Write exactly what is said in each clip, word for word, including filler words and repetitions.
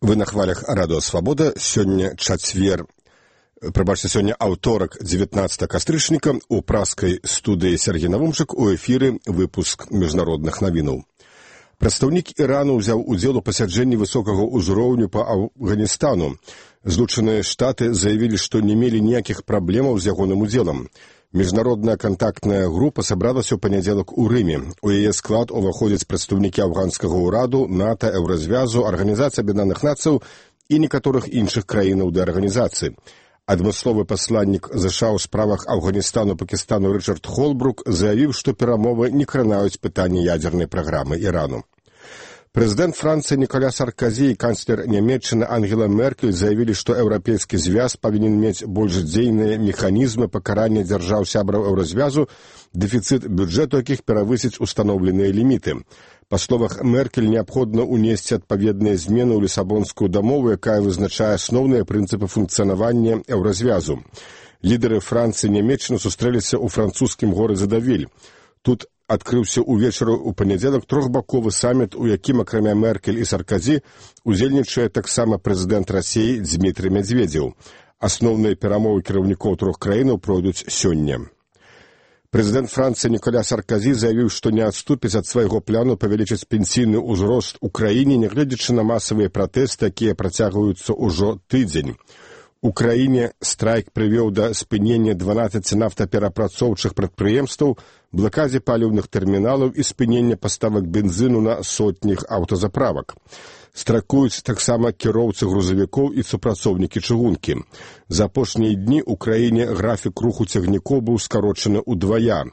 Вы на хвалях радыё Свабода. Сёння чацвер, прабачце, сёння аўторак, дзевятнаццатага кастрычніка. У праскай студыі Сергей Навумчык, у эфіры выпуск міжнародных навінаў. Прадстаўнік Ірану ўзяў удзел у пасяджэнні высокага ўзроўню па Афганістану. Злучаныя Штаты заявілі, што не мелі ніякіх праблемаў з ягоным удзелам. Міжнародная кантактная група сабралася ў панядзелак у Рыме. У яе склад уваходзяць прадстаўнікі афганскага ўраду, НАТО, Еўразвязу, Арганізацыі Аб'яднаных Нацыяў і некаторых іншых краінаў ды арганізацый. Адмысловы пасланнік ЗША ў справах Афганістану, Пакістану Рычард Холбрук заявіў, што перамовы не кранаюць пытанне ядзернай праграмы Ірану. Прэзідэнт Францыі Ніколя Саркозі і канцлер Нямецчыны Ангела Меркель заявілі, што еўрапейскі звяз павінен мець больш дзейныя механізмы пакарання дзяржаў сябраў Еўразвязу, дэфіцыт бюджэту якіх перавысіць устаноўленыя ліміты. Па словах Меркель, неабходна ўнесці адпаведныя змены ў Лісабонскую дамову, якая вызначае асноўныя прынцыпы функцыянавання Еўразвязу. Лідары Францыі і Нямецчыны сустрэліся ў французскім горадзе Давіль. Тут адкрыўся ўвечары ў панядзелак трохбаковы саміт, у якім, акрамя Меркель і Саркозі, удзельнічае таксама прэзідэнт Расіі Дзмітрый Мядзведзеў. Асноўныя перамовы кіраўнікоў трох краінаў пройдуць сёння. Прэзідэнт Францыі Ніколя Саркозі заявіў, што не адступіць ад свайго плану павялічыць пенсійны ўзрост у краіне, нягледзячы на масавыя пратэсты, якія працягваюцца ўжо тыдзень. У краіне страйк прывёў да спынення дванаццаці нафтаперапрацоўчых прадпрыемстваў, блакадзе паліўных тэрміналаў і спынення паставак бензіну на сотнях аўтазаправак. Страйкуюць таксама кіроўцы грузавікоў і супрацоўнікі чыгункі. За апошнія дні ў краіне графік руху цягнікоў быў скарочаны ўдвая.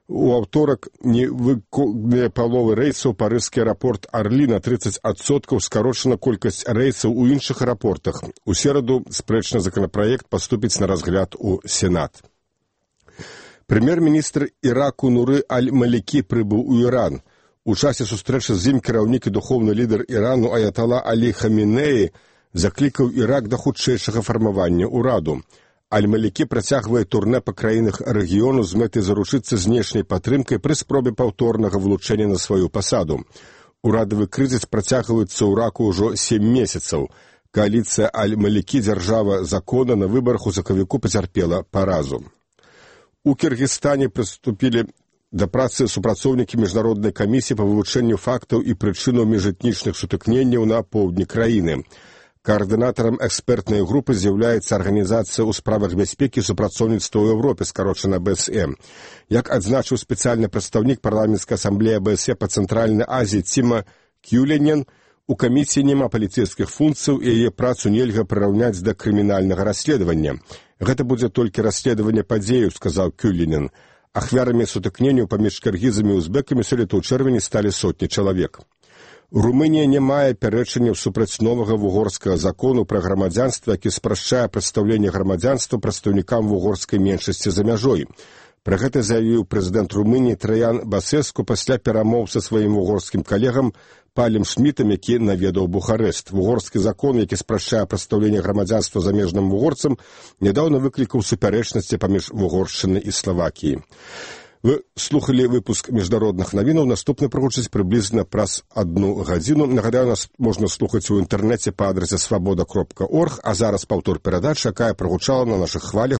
У аўторак невыконаныя паловы рэйсаў парыжскі аэрапорт Арлі на трыццаць адсоткаў, скарочана колькасць рэйсаў у іншых аэрапортах. У сераду спрэчны законапраект паступіць на разгляд у Сенат. Прэм'ер-міністр Іраку Нуры Аль-Малікі прыбыў у Іран. У часе сустрэчы з ім кіраўнік і духоўны лідар Ірану Аятала Алі Хамінеі заклікаў Ірак да хутчэйшага фармавання ўраду. Аль-Малікі працягвае турнэ па краінах рэгіёну з мэтай заручыцца знешняй падтрымкай пры спробе паўторнага вылучэння на сваю пасаду. Урадавы крызіс працягваецца ў Іраку ўжо сем месяцаў. Кааліцыя Аль-Малікі, дзяржава закона, на выбарах у сакавіку пацярпела паразу. У Кіргізстане прыступілі да працы супрацоўнікі міжнароднай камісіі па вывучэнню фактаў і прычынаў міжэтнічных сутыкненняў на поўдні краіны. Каардынатарам экспертнай групы з'яўляецца Арганізацыя ў справах бяспекі і супрацоўніцтва ў Еўропе, скарочана бэ эс эм. Як адзначыў спецыяльны прадстаўнік парламенцкай асамблеі бэ эс э па Цэнтральнай Азіі Ціма Кюленен, у камісіі няма паліцэйскіх функцыяў і яе працу нельга прыраўняць да крымінальнага расследавання. Гэта будзе толькі расследаванне падзеяў, сказаў Кюленен. Ахвярамі сутыкненняў паміж кіргізамі і узбекамі сёлета ў чэрвені сталі сотні чалавек. Румынія не мае пярэчанняў супраць новага вугорскага закону пра грамадзянства, які спрашчае прадстаўленне грамадзянства прадстаўнікам вугорскай меншасці за мяжой. Пра гэта заявіў прэзідэнт Румыніі Траян Басэску пасля перамоў са сваім вугорскім калегам Палем Шмітам, які наведаў Бухарэст. Вугорскі закон, які спрашчае прадстаўленне грамадзянства замежным вугорцам, нядаўна выклікаў супярэчнасці паміж Вугоршчынай і Славакіяй. Вы слухали выпуск міжнародных навінаў. Наступны прагучыць прыблізна праз адну гадзіну. Нагадаю, нас можна слухаць у інтэрнэце па адрасе свабода кропка орг, а зараз паўтор перадачы, якая прагучала на нашых хвалях